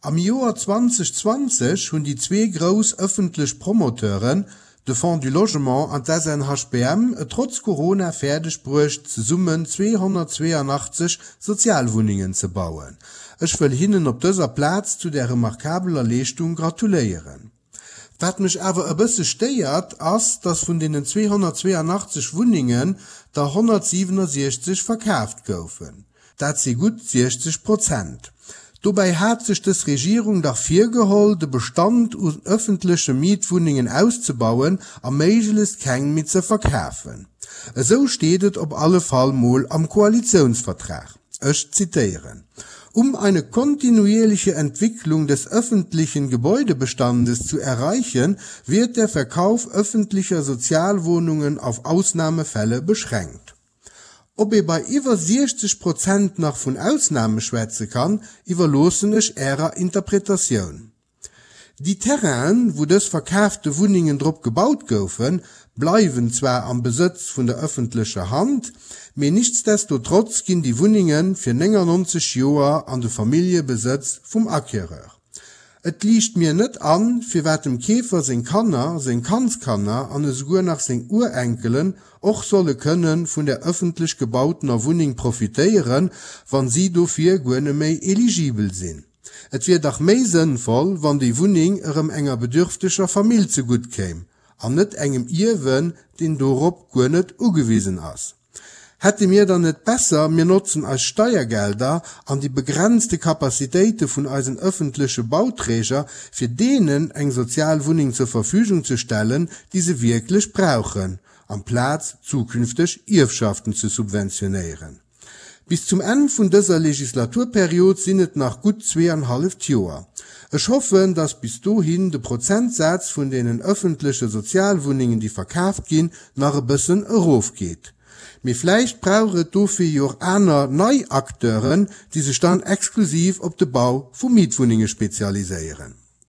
Am Joer 2020 hunn déi zwee grouss ëffentlech Promoteuren, de Fonds du Logement an d'SNHBM, et trotz Corona fäerdeg bruecht, zesummen 282 Sozialwunnengen ze bauen. Ech wëll hinnen op dëser Plaz zu där remarkabeler Leeschtung gratuléieren. Wat mech awer e bësse stéiert, ass, dass vun deenen 282 Wunnengen der 167 verkaaft goufen. Dat si gutt 60 Prozent. Dobäi hat sech dës Regierung dach virgeholl, de Bestand un ëffentleche Mietwunnengen auszebauen a méiglechst keng méi ze verkafen. Esou steet et op alle Fall mol am Koalitiounsvertrag. Ech zitieren: Um eine kontinuierliche Entwicklung des öffentlichen Gebäudebestandes zu erreichen, wird der Verkauf öffentlicher Sozialwohnungen auf Ausnahmefälle beschränkt. Ob ee bei iwwer 60 Prozent nach vun Ausnahme schwätze kann, iwwerloossen ech Ärer Interpretatioun. Déi Terrainen, wou dës verkaafte Wunnengen drop gebaut goufen, bleiwen zwar am Besëtz vun der ëffentlecher Hand, mee nichtsdestotrotz ginn déi Wunnenge fir 99 Joer an de Familljebesëtz vum Acquéreur. Et liicht mir net an, firwat dem Keefer seng Kanner, seng Kandskanner an esouguer nach seng Urenkelen och solle kënne vun der ëffentlech gebautener Wunneng profitéieren, wann si dofir guer neméi eligibel sinn. Et wier dach méi sënnvoll, wann déi Wunneng erëm enger bedürfteger Famill zegutt kéim, an net engem Ierwen, deen dorop guer net ugewisen ass. Hätte mir dann net besser, mir notzen eis Steiergelder an déi begrenzte Capacitéite vun eisen ëffentleche Bauträger, fir deenen eng sozial Wunneng zur Verfügung ze stellen, déi se wierklech brauchen, amplaz zukünfteg Ierfschaften ze subventionéieren? Bis zum Enn vun dëser Legislaturperiod sinn et nach gutt zweeanhalleft Joer. Ech hoffen, dass bis dohin de Prozentsaz vun deenen öffentleche Sozialwunnengen, déi verkaaft ginn, nach e bëssen erofgeet. Mee vläicht brauch et dofir jo och aner, nei Acteuren, déi sech dann exklusiv op de Bau vu Mietwunnenge spezialiséieren.